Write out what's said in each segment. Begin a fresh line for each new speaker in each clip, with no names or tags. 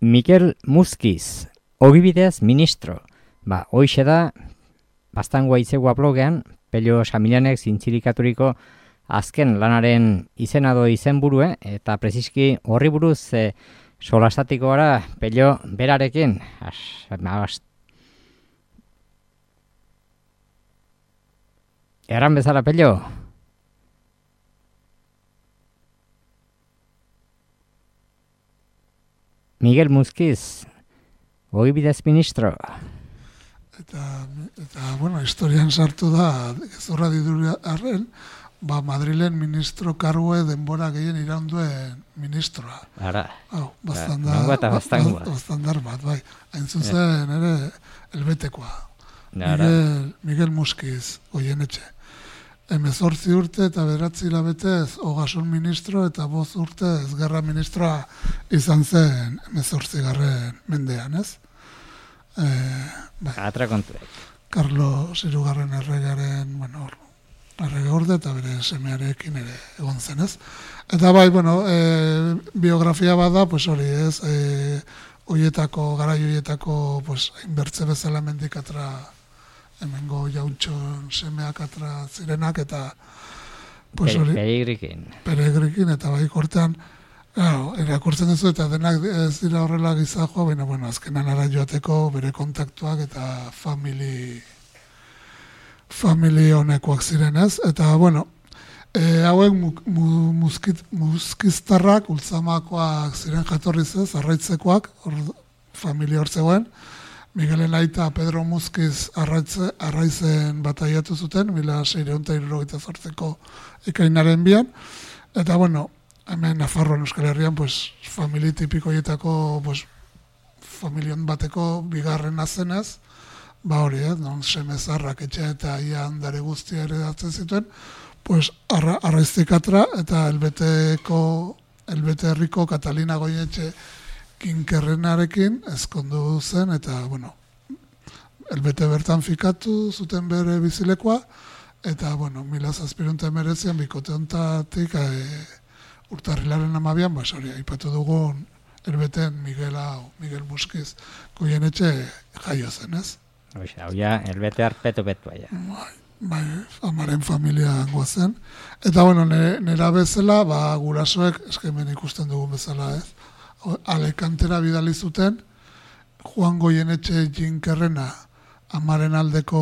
Mikel Muskiz, ogibidez ministro. Hoixe da, bastangoa itzegua blogean, Pello Samilanek zintzilikaturiko azken lanaren izenado izenburue, eta preziski horri buruz solastatiko gara Pello berarekin. Eran bezala, Pello? Miguel Muskiz, ogibidez ministro.
Eta bueno, historian sartu da, gezurra diduri arren, Madrilen ministro kargue denbora gehien iraunduen ministroa.
Ara.
Bastandar bat, bai. Hain zuzen, ere, elbetekoa. Miguel Muskiz, Goienetxe. 18 urte eta 9 hilabetez Ogasun ministro eta 5 urte gerra ministroa izan zen 18. mendean, ez?
Atra kontuek.
Carlo Hirugarren erregaren, errege orde eta bere semearekin ere egon zen, ez? Eta bai, biografia bada, hori ez, garai hoietako, hainbertze bezala mendikatra hemengo jauntxon semeak atra zirenak, eta peregrikin, eta bai kortean, erakurtzen duzu, eta denak ez dira horrela gizajoa, baina, azkenan ara joateko bere kontaktuak eta famili honekoak zirenez, eta, hauek muskiztarrak, ultzamakoak ziren jatorriz ez, arraitzekoak, familia hor zegoen, Miguelen aita Pedro Muskiz arraizen bataiatu zuten, 1678ko ekainaren bian, eta, hemen Nafarroan Euskal Herrian, famili tipikoietako, familion bateko bigarren azenez, hori, non semezarrak etxe eta ia handare guztia eredatzen zituen, arraiztikatra eta Elbete herriko Katalina Goietxe kinkerrenarekin ezkondu zen, eta, Elbete bertan fikatu zuten bere bizilekoa, eta, 1719an bikote ontatik urtarrilaren 12an, aipatu dugun Elbeten Miguel Muskiz Goienetxe jaio zen, ez?
Hau ja, Elbete arpetu betua, ja.
Bai, amaren familia zen. Eta, nera bezala, gurasoek, eskemen ikusten dugun bezala, ez? Alekantera bidali zuten, Juan Goienetxe jinkerrena amaren aldeko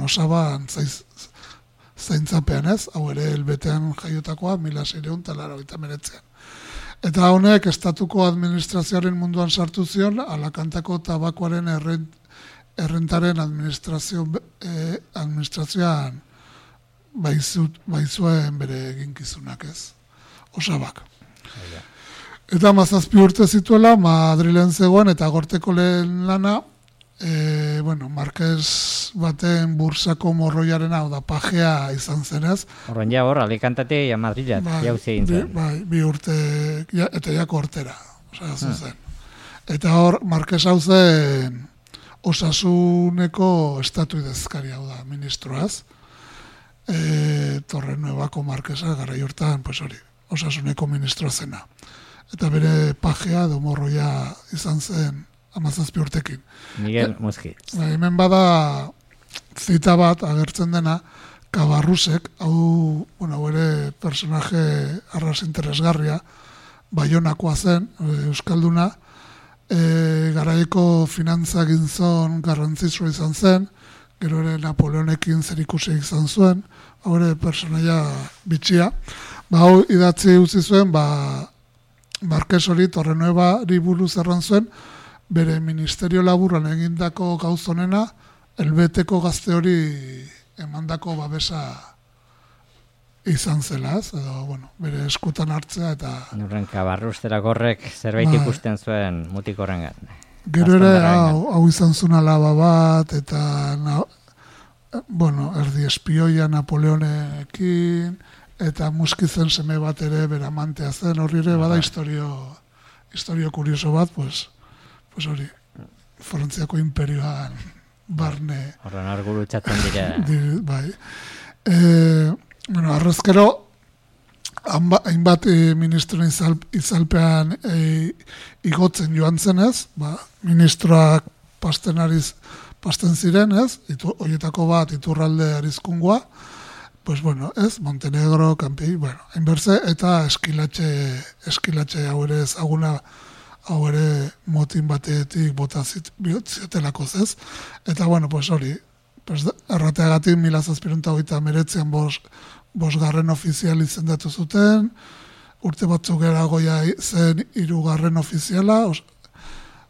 osaban zaintzapean, ez? Hau ere Elbetean jaiotakoa, 1689an. Eta honek estatuko administrazioaren munduan sartu zion, Alakantako tabakoaren errentaren administrazioan baizuen bere eginkizunak, ez? Osabak. Eta 17 urte zituela, Madrilen zegoen, eta gorteko lehen lana, Marquez baten bursako morroiaren hau da pajea izan zenez.
Horren ja hor, Alicantete ja Madrilat, jauzi egin zen.
Bai, 2 urte, eta jako hortera, zuzen. Eta hor, Marquez hau zen Osasuneko estatuidezkari hau da, ministroaz. Torrenuevako Marqueza garai hortan, Osasuneko ministroa zena. Eta bere pajea edo morroia izan zen 17 urtekin.
Miguel Muskiz.
Hemen bada zita bat agertzen dena, Cabarrusek, hau ere personaje arras interesgarria, Baionakoa zen, euskalduna, garaiko finantza gintzon garrantzitsua izan zen, gero ere Napoleonekin zerikusi izan zuen, hau ere personaia bitxia. Hau idatzi utzi zuen, Marquez hori Torrenuevari buruz erran zuen, bere ministerio laburran egindako gauzonena, Elbeteko gazte hori emandako babesa izan zela, ez? Edo, bere eskutan hartzea eta...
Nurren Cabarrustera gorrek zerbait ikusten zuen mutik horrengan.
Gero ere, hau izan zuen alaba bat, eta, erdi espioia Napoleonekin, eta Muskizen seme bat ere bere amantea zen, horri ere bada historio kurioso bat, hori, Frantziako imperioan barne...
Horren arguru txatzen dira.
Bai. Arrezkero, hainbat ministroen izalpean igotzen joan zenez, ministroak pasten ziren, ez? Horietako bat Iturralde Arizkungoa, pues bueno, ez? Montenegro, Kampi, bueno, hainberze, eta eskilatxe hau ere ezaguna, hau ere motin batetik bota ziotelako, ez? Eta bueno, pues hori, pues errateagatik 1789an bosgarren ofizial izendatu zuten, urte batzuk eragoia zen 3. ofiziala,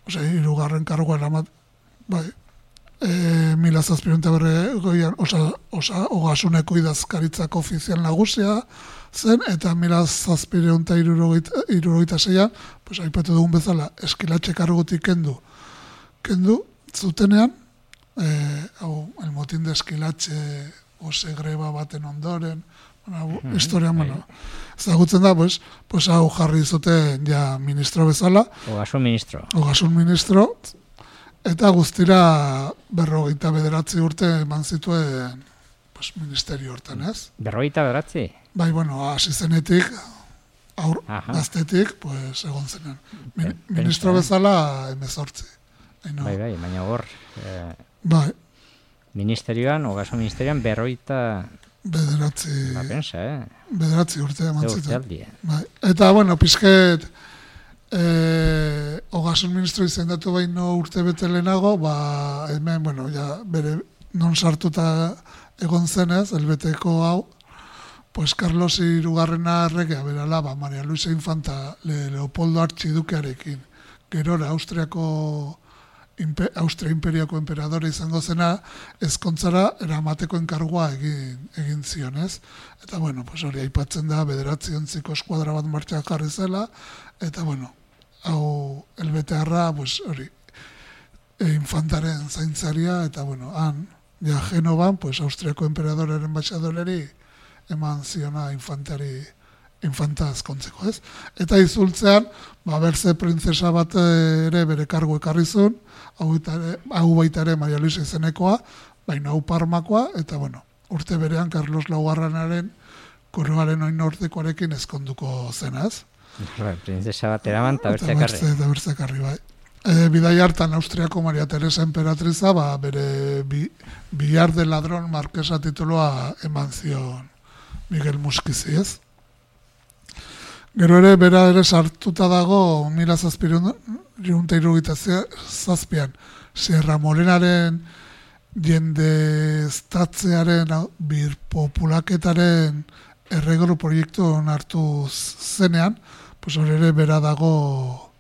hirugarren kargoa eramat, bai, 1792an Ogasuneko idazkaritzako ofizial nagusia zen, eta 1776an, pues aipatu dugun bezala, eskilatxe kargutik kendu zutenean, el motín de Eskilatxe ose greba baten ondoren, historian, ezagutzen da, pues hau jarri zuten ja ministro bezala.
Ogasun
ministro. Eta guztira 59 urte eman zituen ministerio hortan, ez?
59?
Bai, bueno, hasi zenetik, gaztetik, egon zenen. Ministro bezala 18.
Bai, baina hor...
Bai.
Ogasun ministerioan 59...
Bederatzi urte eman zituen. Bai. Eta, bueno, pizket... Ogasun ministro izendatu baino urte bete lehenago, hemen, bueno, ja, bere non sartuta egon zenez, elbeteko hau, pues Carlos Hirugarrena erregea berala, Maria Luisa Infanta Leopoldo Archidukearekin, gerora Austria Imperiako emperadore izango zena, ezkontzara eramateko enkargua egin zionez. Eta, bueno, pues hori aipatzen da, 9 eskuadra bat martxan jarri zela, eta, bueno, hau elbetearra, pues hori, infantaren zaintzaria, eta, bueno, han, ja, Genovan, pues Austriako emperadoreren batxadoleri eman ziona infanta azkontzeko, ez? Eta izultzean, berze printzesa bat ere bere kargu ekarrizun, hau baita ere Maria Luisa izenekoa, baina hau Parmakoa, eta, bueno, urte berean Carlos Laugarrenaren koroaren oinortekoarekin ezkonduko zenaz.
Printzesa bat eraman, eta
bertzekarri, bai. Bidai hartan Austriako Maria Teresa emperatriza, bere Billar de Ladrón markesa tituloa eman zion Miguel Muskizi, ez? Gero ere, bera ere sartuta dago 1777an Sierra Morenaren jendeztatzearen birpopulaketaren erregoro proiektu hartu zenean, pues hori ere bera dago,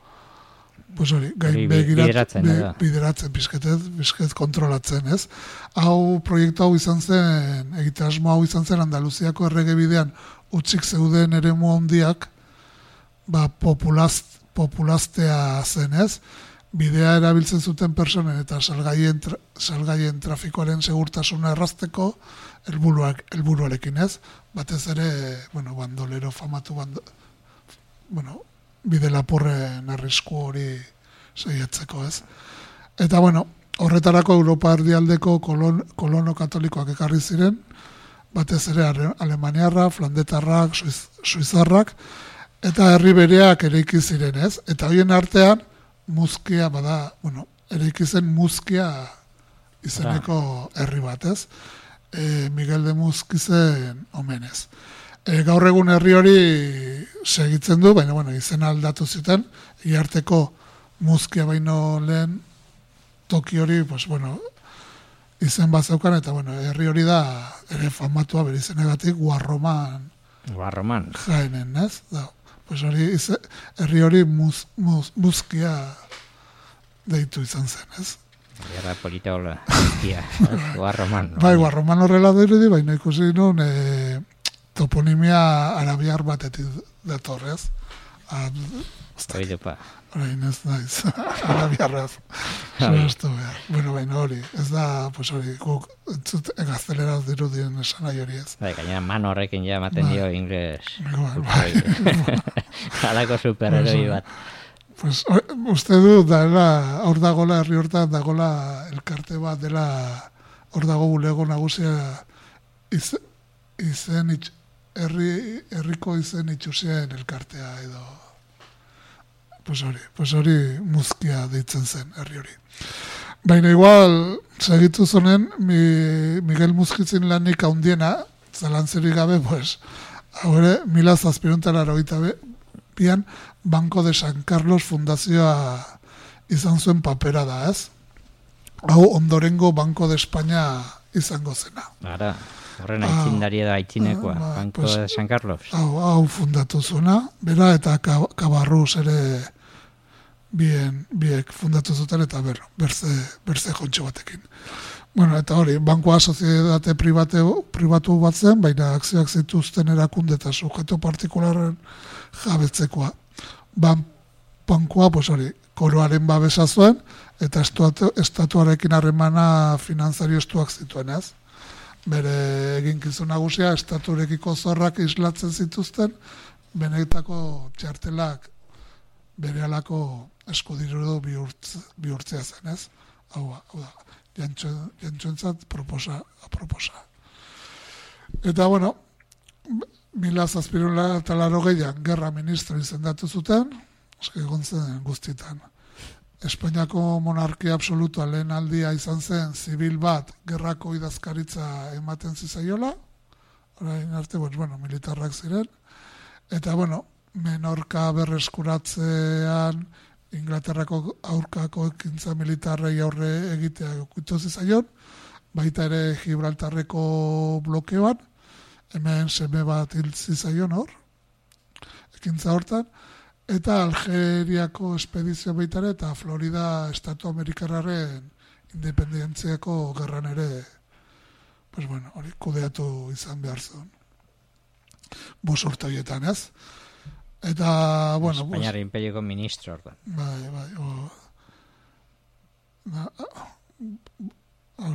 pues hori, bideratzen pizket kontrolatzen, ez? Hau proiektu hau izan zen, egitasmo hau izan zen Andaluziako errege bidean utzik zeuden eremu handiak, populaztea zen, ez? Bidea erabiltzen zuten personen eta salgaien trafikoaren segurtasuna errazteko helburuarekin, ez? Batez ere, bueno, bandolero famatu bide lapurren arrisku hori saiatzeko, ez? Eta, bueno, horretarako Europa erdialdeko kolono katolikoak ekarri ziren, batez ere alemaniarrak, flandetarrak, suizarrak, eta herri bereak eraiki ziren, ez? Eta horien artean, Muzkia eraiki zen Muzkia izeneko herri bat, ez? Miguel de Muskizen omenez. Gaur egun herri hori segitzen du, baina, izena aldatu zuten, iarteko Muzkia baino lehen toki hori, izen bat zeukan, eta, herri hori da, ere famatua bere izenegatik, Guarroman jaenen, ez? Herri hori Muzkia deitu izan zen, ez?
Gerra polita hola, Guarroman.
Bai, Guarroman horrela dirudi, baina ikusi nun toponimia arabiar batetik datorrez.
Oidepa.
Orain ez naiz, arabiarraz. Bueno, baina hori, ez da, hori, guk gazteleraz dirudien esan nahi hori ez.
Bai, gainera man horrekin ja ematen dio ingles. Halako superheroi bat.
Uste du, hor dagoela, herri hortan dagoela elkarte bat dela, hor dago bulego nagusia izen herriko izen itxusien elkartea edo pues hori muzkia deitzen zen herri hori. Baina igual segitu zonen Miguel Muzkitzin lanik handiena, zalantzerik gabe, pues ahora 1782 Banco de San Carlos fundazioa izan zuen papera da, ez? Hau ondorengo Banco de España izango zena.
Ara, horren aitzindari edo aitzinekoa, Banco
pues,
de San Carlos.
Hau fundatu zuena, bera eta Cabarrus ere biek fundatu zuten eta berze jontxo batekin. Bueno, eta hori, bankoa soziedade pribatu bat zen, baina akzioak zituzten erakunde eta sujeto partikularren jabetzekoa. Bankoa, pues hori, koroaren babesa zuen, eta estatuarekin harremana finantzario estuak zituen, ez? Bere eginkizun nagusia, estaturekiko zorrak islatzen zituzten, benetako txartelak bere alako eskudiru bihurtzea zen, ez? Hau da, jantxoentzat aproposa. Eta, bueno, 1780an gerra ministro izendatu zuten, egon zen guztietan. Espainiako monarkia absolutua lehen aldia izan zen zibil bat gerrako idazkaritza ematen zizaiola, orain arte, bueno, militarrak ziren, eta, bueno, Menorka berreskuratzean Inglaterrako aurkako ekintza militarrei aurre egitea okutu zizaion, baita ere Gibraltarreko blokeoan, hemen seme bat hil zizaion hor, ekintza hortan, eta Algeriako espedizio baita ere, eta Florida Estatu Amerikarraren independentziako gerran ere, pues bueno, hori kudeatu izan behar zuen. 5 urte horietan, ez? Eta, bueno...
Espainiar imperioko ministro, orda.
Bai,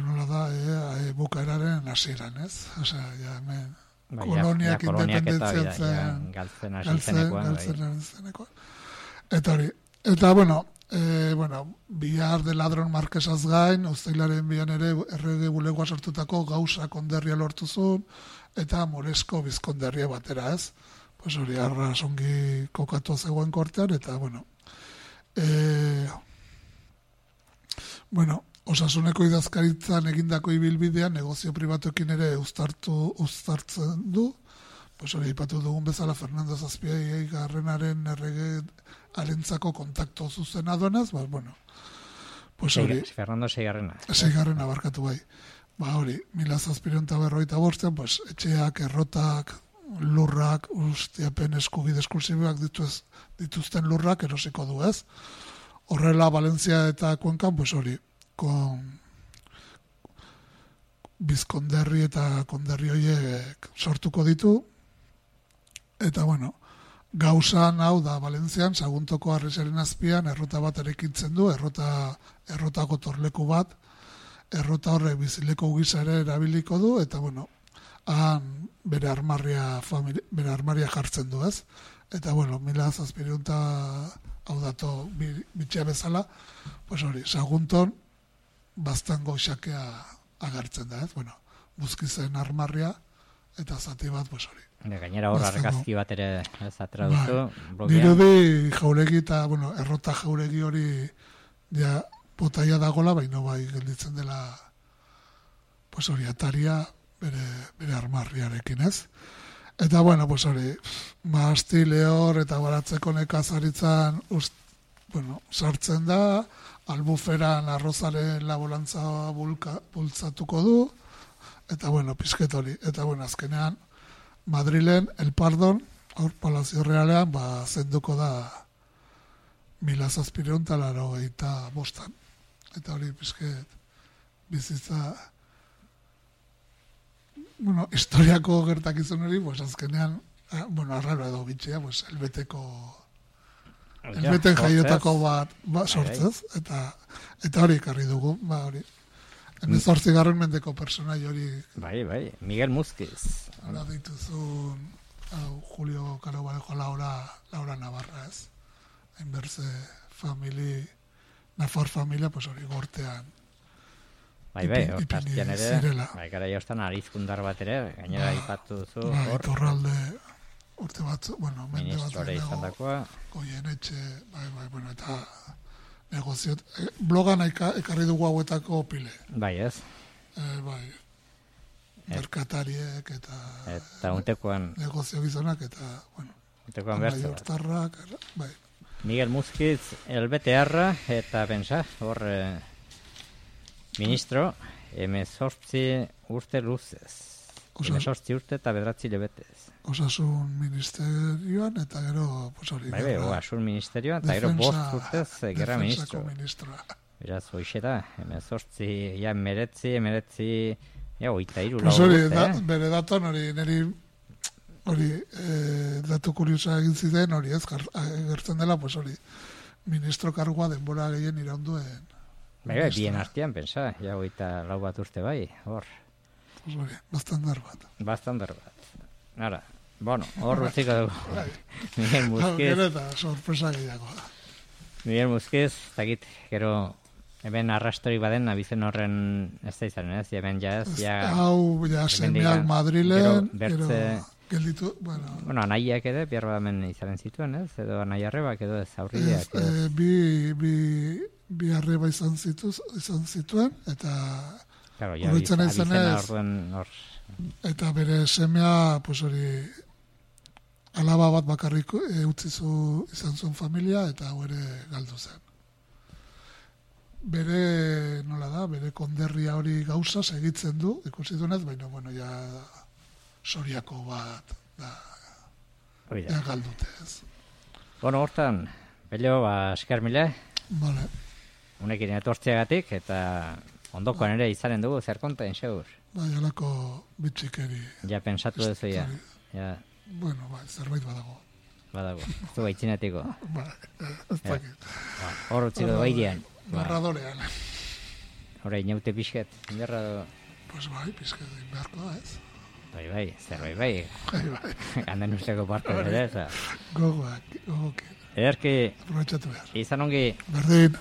nola da, bukaeraren hasieran, ez? Osea, ja, hemen... koloniak independentzian zen...
Galtzen hasi zenekoan.
Eta hori. Eta, bueno, Bihar de Ladron Marquesaz gain, uztailaren bian ere errege bulegoa sortutako Gauza konderria lortu zuen, eta Moresko bizkonderria batera, ez? Pues hori, arras ongi kokatu zegoen kortean, eta, Osasuneko idazkaritzan egindako ibilbidean negozio pribatuekin ere uztartzen du, pues hori, ipatu dugun bezala Fernando Zazpiai garrenaren errege arentzako kontakto zuzena duenaz, pues hori...
Fernando Seigarrena.
Seigarrena barkatu bai. Hori, 1755, pues etxeak, errotak, lurrak, ustiapen eskubide esklusiboak dituzten lurrak erosiko du, ez? Horrela, Valentzia eta Kuenkan, pues hori, bizkonderri eta konderri horiek sortuko ditu, eta, gauzan hau da, Valentzian, Saguntoko Arresaren azpian, errota bat erekitzen du, errotako torleku bat, errota horrek bizileko gisa ere erabiliko du, eta, han bere armarria jartzen du, ez? Eta, 1700 hau dato bitxea bezala, pues hori, Sagunton baztango xakea agertzen da, ez? Buzkizen armarria, eta zati bat, pues hori.
Gainera hor argazki bat ere ez atradutu.
Dirudi jauregi eta, errota jauregi hori ja botaia dagola, baina bai gelditzen dela, pues hori, ataria bere armarriarekin, ez? Eta, pues hori, Masti, Lehor eta Baratzeko nekazaritzan sartzen da, Albuferan arrozaren laborantza bultzatuko du, eta, pizket hori. Eta, azkenean, Madrilen, El Pardon, hor Palazio Realean, zenduko da 1785. Eta hori, pizket, bizitza... historiako gertakizun hori, azkenean, arraro edo bitxea, elbeten jaiotako bat sortzez, eta hori ekarri dugu, hori. 18. mendeko personai hori...
Bai, Miguel Muzquiz.
Hala dituzun, Julio Caro Barejo Laura Navarra, ez? Hainberze Nafar familia, hori gortean
Bai, hortaztian ere,
zirela.
bai, gara jostan arizkundar bat ere, gainera aipatu duzu,
Bai,
hor,
Iturralde urte batzu, bueno, mende bat
ministrore izan dakoa,
Goienetxe, bai, bueno, eta negoziot, blogan ekarri dugu hauetako pile.
bai ez,
Bai, merkatariek
eta untekoan
negozio gizonak eta, bueno,
bertze bat.
hortarrak, bai.
Miguel Muskiz, elbetearra, eta pensa, hor, ministro, 18 urte luzez. 18 urte eta 9 lebetez.
Osasun ministerioan, eta gero, pues hori.
Bai, osasun ministerioan, eta gero 5 urtez gerra ministro. Beraz, hoxe da, 18, ja, emeretzi, ja, 23
pues hori, bere datan hori, hori, datu kuriosa egin ziren, hori ez, gertzen dela, pues hori, ministro kargoa denbora gehien iraunduen.
Bai, bien artean, pensa, ja, 24 bat urte bai, hor.
Pues hori, bastandar bat.
Ara, bueno, hor utziko dugu. Miguel Muskiz.
Gero eta sorpresa gehiago da.
Miguel Muskiz, takit, gero, hemen arrastorik baden, abizen horren ez da izan, ez? Hemen ja ez, ja...
Hau, ja, semeak Madrilen,
gero
gelditu, bueno...
Bueno, anaiak ere, bihar hemen izaren zituen, ez? Edo anaiarrebak, edo ez aurrileak.
Bi arreba izan zituen, eta...
Claro, ja, abizena orduen hor...
Eta bere semea, pues hori, alaba bat bakarrik utzizu izan zuen familia, eta hau ere galdu zen. Bere, nola da, bere konderria hori gauza segitzen du, ikusi dunez, baina, bueno, ja soriako bat, ja galdute ez.
Bueno, hortan, Bello, esker mile.
Vale.
Unekin etortzeagatik, eta ondokoan ere izanen dugu, zer konten, segur?
Bai, alako bitxikeri.
Ja, pensatu duzu, ja.
Bueno, bai, zerbait badago.
Zu baitzinatiko.
Bai, ez dakit.
Hor utziko baidean.
Narradorean.
Hora, inaute pixket, inderra do...
Pues bai, pixket inberko da, ez?
Bai, zerbait bai. Handen usteko parte ere, eza.
Gogoak.
Ederki...
Aprobetxatu behar.
Izan ongi...
Berdin.